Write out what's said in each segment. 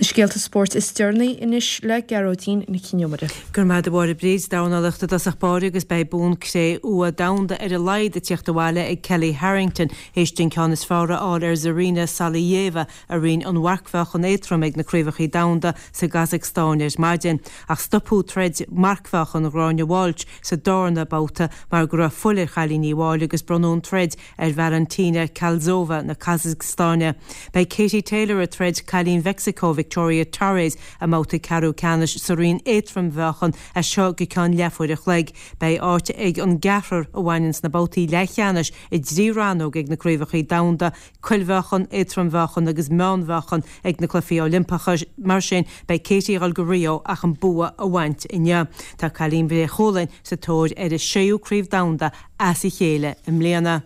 scéalta spóirt is deireanaí anois le Gearóidín Nic Con Iomaire. Go raibh maith agat a Mháire Bríd, Dornálaíocht i dtosach báire agus beidh bonn cré-umha domhanda ar a laghad ag tíocht abhaile ag Kellie Harrington théis di an ceann is fearr a fháil ar Zarina Saliyeva i roinn an mharcmheáchan éadtrom ag na Craobhacha Domhanda sa gCasacstáin ar maidin. Ach stopadh troid marcmheáchan Ghráinne Walsh sa darna babhta mar go raibh fuil ar chailín Uíbh Fhailí agus bronnadh an troid ar Valentina Kalzova na Casacstáine. Beidh Katie Taylor ag troid cailín Mheicsiceo Victoria Torres i mbabhta ceathrú ceannais sa roinn éadtrommheáchan as seo go ceann leathuair a chloig. Beidh áit ag an gceathrar a bhaineann sna babhtaí leathcheannais i dtrí rannóg ag na Craobhacha Domhanda, Cuilmheáchan, Éadtrommheáchan agus Meánmheáchan ag na Cluichí Oilimpeacha. Mar sin, beidh Katie ag dul go Rio ach an bua a bhaint inniu. Tá cailín Bhré Chualainn sa tóir ar a séú Craobh Domhanda as a chéile i mbliana.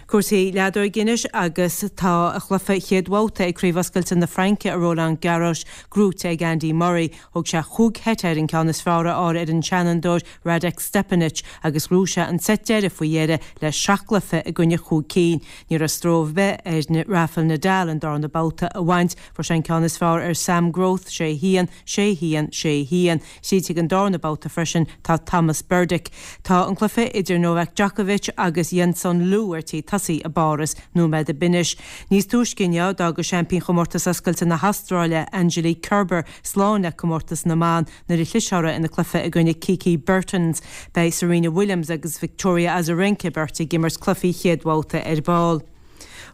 Cúrsaí leadóige anois agus tá a chluiche chéad bhabhta ag Craobh Oscailte na Fraince i Roland Garros gnóite ag Andy Murray. Thóg sé chúig sheit air an ceann is fearr a fháil ar an seanfhondúir Radek Stepanek agus ghnóthaigh sé an seit deiridh faoi dheireadh le seacht gcluiche i gcoinne chúig cinn. Ní raibh stró ar bith ar Rafael Nadal an darna babhta a bhaint, fuair sé an ceann is fearr ar Sam Groth, 6 1, 6 1, 6 1. Tríd chuig an darna babhta freisin tá Tomas Berdych. Tá an cluiche idir Novak Djokovic agus Joensung Lu ar tí tosaí i bPáras nóiméad ó shin anois. Níos túisce inniu d'fhág seaimpín Chomórtas Oscailte na hAstráile, Angelique Kerber, slán le comórtas na mban nuair a chlis orthu ina cluiche i gcoinne Kiki Bertens. Beidh Serena Williams agus Victoria Azarenka beirt ag imirt cluichí chéad bhabhta ar ball.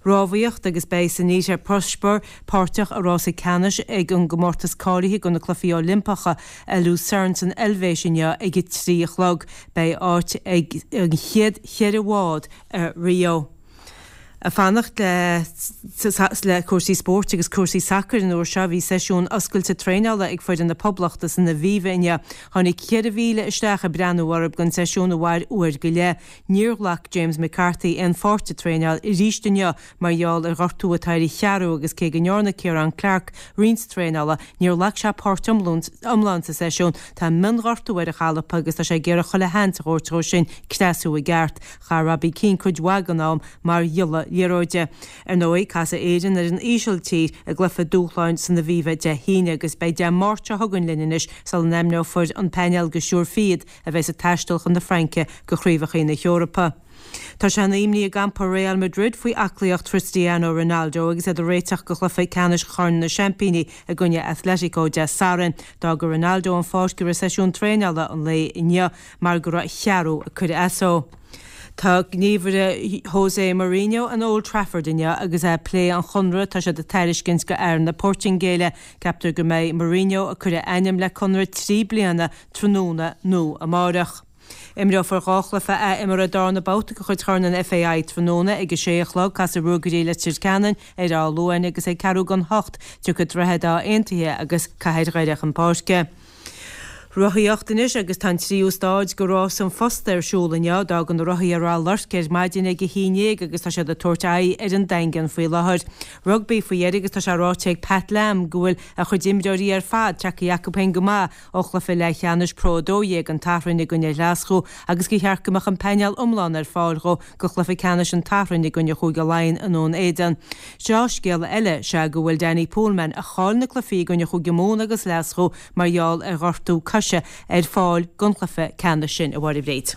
Rámhaíocht agus beidh Sanita Puspure páirteach i rása ceannais ag an gcomórtas cáilithe do na Cluichí Oilimpeacha i Lucerne san Eilvéis inniu ag 3 a chlog. Beidh áit ag an chéad cheithre bhád i Rio. Ag fanacht le cúrsaí spóirt agus cúrsaí sacair an uair seo, bhí seisiún oscailte traenála ag foireann na Poblachta san Aviva inniu. Tháinig 4,000 isteach ag breathnú orthu don seisiún a mhair uair go leith. Níor ghlac James McCarthy aon pháirt sa traenáil arís inniu mar gheall ar ghortú atá ar a cheathrú agus cé go ndearna Ciarán Clarke roinnt traenála, níor ghlac sé páirt iomlán sa seisiún. Tá mionghortú ar a chalpa agus tá sé ag iarraidh chuile sheans a thabhairt dhó sin creasú i gceart. Chaith Robbie Keane cuid mhaith den am mar ghiolla liathróide. Ar ndóigh, casfaidh Éirinn ar an Ísiltír i gcluiche dúshláin san Aviva Dé hAoine agus beidh Dé Máirt seo chugainn linn anois sula n-ainmneofar an painéal go stiúrfaidh iad a bheas ag taisteal chun na Fraince go Craobhacha na hEorpa. Tá sean-imní i gcampa Real Madrid faoi aclaíocht Christiano Ronaldo agus iad ag réiteach do chluiche ceannais Chorn na Seaimpíní i gcoinne Atletico Dé Sathairn. D'fhága Ronaldo an pháirc i rith seisiún traenála an lae inniu mar go raibh a cheathrú ag cur as dó. Tá gníomhaire Jose Mourinho in Old Trafford inniu agus é ag plé an chonradh atá siad ag tairiscint do fhear na Portaingéile. Ceaptar go mbeidh Mourinho ag cur a ainm le conradh 3 bliana tráthnóna nó amárach. Imreofar 2 chluiche athimeartha darna babhta de chuid Chorn an FAI tráthnóna ag 6 a chlog. Casfaidh Ruagairí Leitir Ceanainn ar Áth Luain agus ag ceathrú don hocht tiocfaidh Droichead Átha Aontaithe agus Cathair Dhoire chun páirce. Rothaíocht anois agus tá an tríú stáid de Rás an Phosta ar siúl inniu. D'fhág na rothaithe Ráth Luirc ar maidin ag 11 agus tá siad ag tabhairt aghaidh ar an Daingean faoi láthair. Rugbaí faoi dheireadh agus tá sé ráite ag Pat Lam go bhfuil a chuid imreoirí ar fad tagtha acu féin go maith ó chluiche leathcheannais Pro 12 an tSathairn i gcoinne Ghlaschú agus gur cheart go mbeadh an painéal iomlán ar fáil dhó go chluiche ceannais an tSathairn i gcoinne Chúige Laighean i nDún Éideann. Dea-scéala eile is ea go bhfuil Danny Poolman, a chaill na cluichí i gcoinne Chúige Mumhan agus Ghlaschú mar gheall ar ghortú coise, ar fáil don chluiche ceannais sin, a Mháire Bhréid.